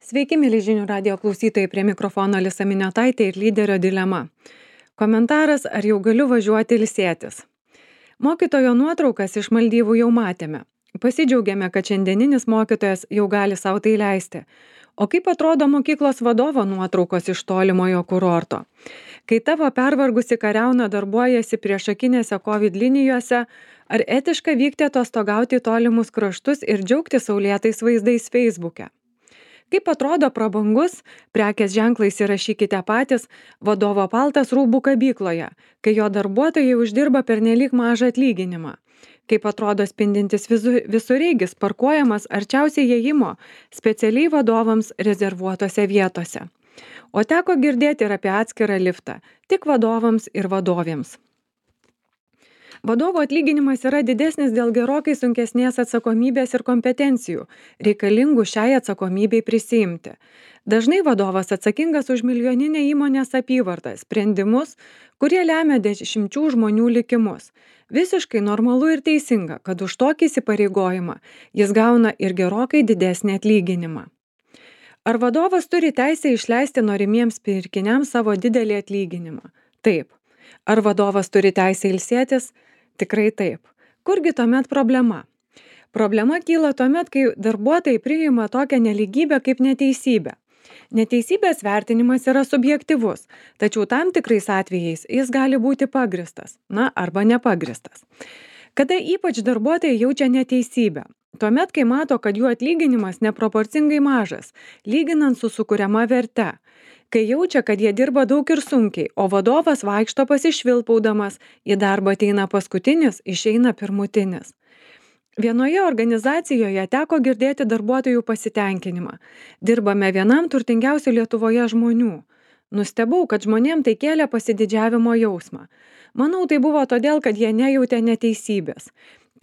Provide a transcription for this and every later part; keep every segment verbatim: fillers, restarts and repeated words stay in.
Sveiki, mėly žinių radijo klausytojai, prie mikrofono Alisa Miniotaitė ir lyderio dilema. Komentaras, ar jau galiu važiuoti ilsėtis? Mokytojo nuotraukas iš Maldyvų jau matėme. Pasidžiaugiame, kad šiandieninis mokytojas jau gali savo tai leisti. O kaip atrodo mokyklos vadovo nuotraukos iš tolimojo kurorto? Kai tavo pervargusi kariauna darbuojasi priešakinėse COVID linijose, ar etiška vykti atostogauti į tolimus kraštus ir džiaugti saulėtais vaizdais Facebook'e? Kaip atrodo prabangus, prekės ženklą įsirašykite patys, vadovo paltas rūbų kabykloje, kai jo darbuotojai uždirba pernelyg mažą atlyginimą? Kaip atrodo spindintis visu, visureigis parkuojamas arčiausiai įėjimo specialiai vadovams rezervuotose vietose? O teko girdėti ir apie atskirą liftą, tik vadovams ir vadovėms. Vadovo atlyginimas yra didesnis dėl gerokai sunkesnės atsakomybės ir kompetencijų, reikalingų šiai atsakomybei prisiimti. Dažnai vadovas atsakingas už milijoninę įmonės apyvartą, sprendimus, kurie lemia dešimčių žmonių likimus. Visiškai normalu ir teisinga, kad už tokį įsipareigojimą jis gauna ir gerokai didesnį atlyginimą. Ar vadovas turi teisę išleisti norimiems pirkiniams savo didelį atlyginimą? Taip. Ar vadovas turi teisę ilsėtis? Tikrai taip. Kurgi tuomet problema? Problema kyla tuomet, kai darbuotojai priima tokią nelygybę kaip neteisybę. Neteisybės vertinimas yra subjektyvus, tačiau tam tikrais atvejais jis gali būti pagristas, na arba nepagristas. Kada ypač darbuotojai jaučia neteisybę? Tuomet, kai mato, kad jų atlyginimas neproporcingai mažas, lyginant su sukuriama verte. Kai jaučia, kad jie dirba daug ir sunkiai, o vadovas vaikšto pasišvilpaudamas, į darbą ateina paskutinis, išeina pirmutinis. Vienoje organizacijoje teko girdėti darbuotojų pasitenkinimą. Dirbame vienam turtingiausių Lietuvoje žmonių. Nustebau, kad žmonėm tai kėlė pasididžiavimo jausmą. Manau, tai buvo todėl, kad jie nejautė neteisybės.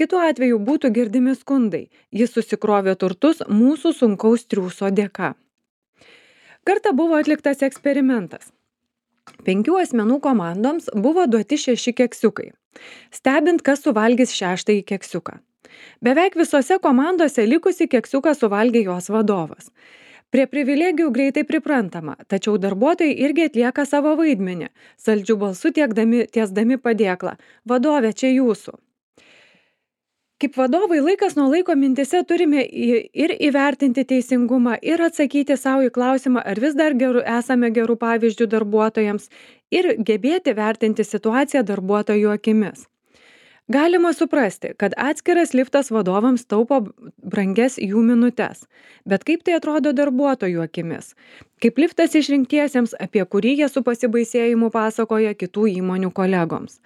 Kitu atveju būtų girdimi skundai. Jis susikrovė turtus mūsų sunkaus triūso dėka. Kartą buvo atliktas eksperimentas. Penkių asmenų komandoms buvo duoti šeši keksiukai. Stebint, kas suvalgys šeštąjį keksiuką. Beveik visose komandose likusi keksiuką suvalgė jos vadovas. Prie privilegijų greitai priprantama, tačiau darbuotojai irgi atlieka savo vaidmenį, saldžių balsų tiekdami, tiesdami padėklą. Vadove, čia jūsų. Kaip vadovai laikas nuo laiko mintise turime ir įvertinti teisingumą, ir atsakyti savo į klausimą, ar vis dar geru, esame gerų pavyzdžių darbuotojams, ir gebėti vertinti situaciją darbuotojų akimis. Galima suprasti, kad atskiras liftas vadovams taupo brangias jų minutes, bet kaip tai atrodo darbuotojų akimis? Kaip liftas išrinktiesiems, apie kurį jie su pasibaisėjimu pasakoja kitų įmonių kolegoms.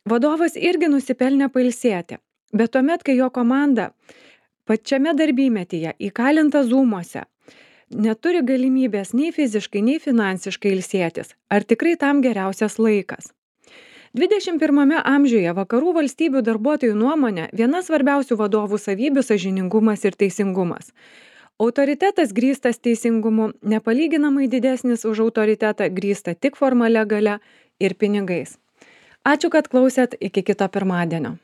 Vadovas irgi nusipelnė pailsėti. Bet tuomet, kai jo komanda pačiame darbymetyje įkalinta zūmuose, neturi galimybės nei fiziškai, nei finansiškai ilsėtis, ar tikrai tam geriausias laikas? dvidešimt pirmame amžiuje vakarų valstybių darbuotojų nuomonė viena svarbiausių vadovų savybių sąžiningumas ir teisingumas. Autoritetas grįstas teisingumu nepalyginamai didesnis už autoritetą grįstą tik formalia galia ir pinigais. Ačiū, kad klausėt, iki kito pirmadienio.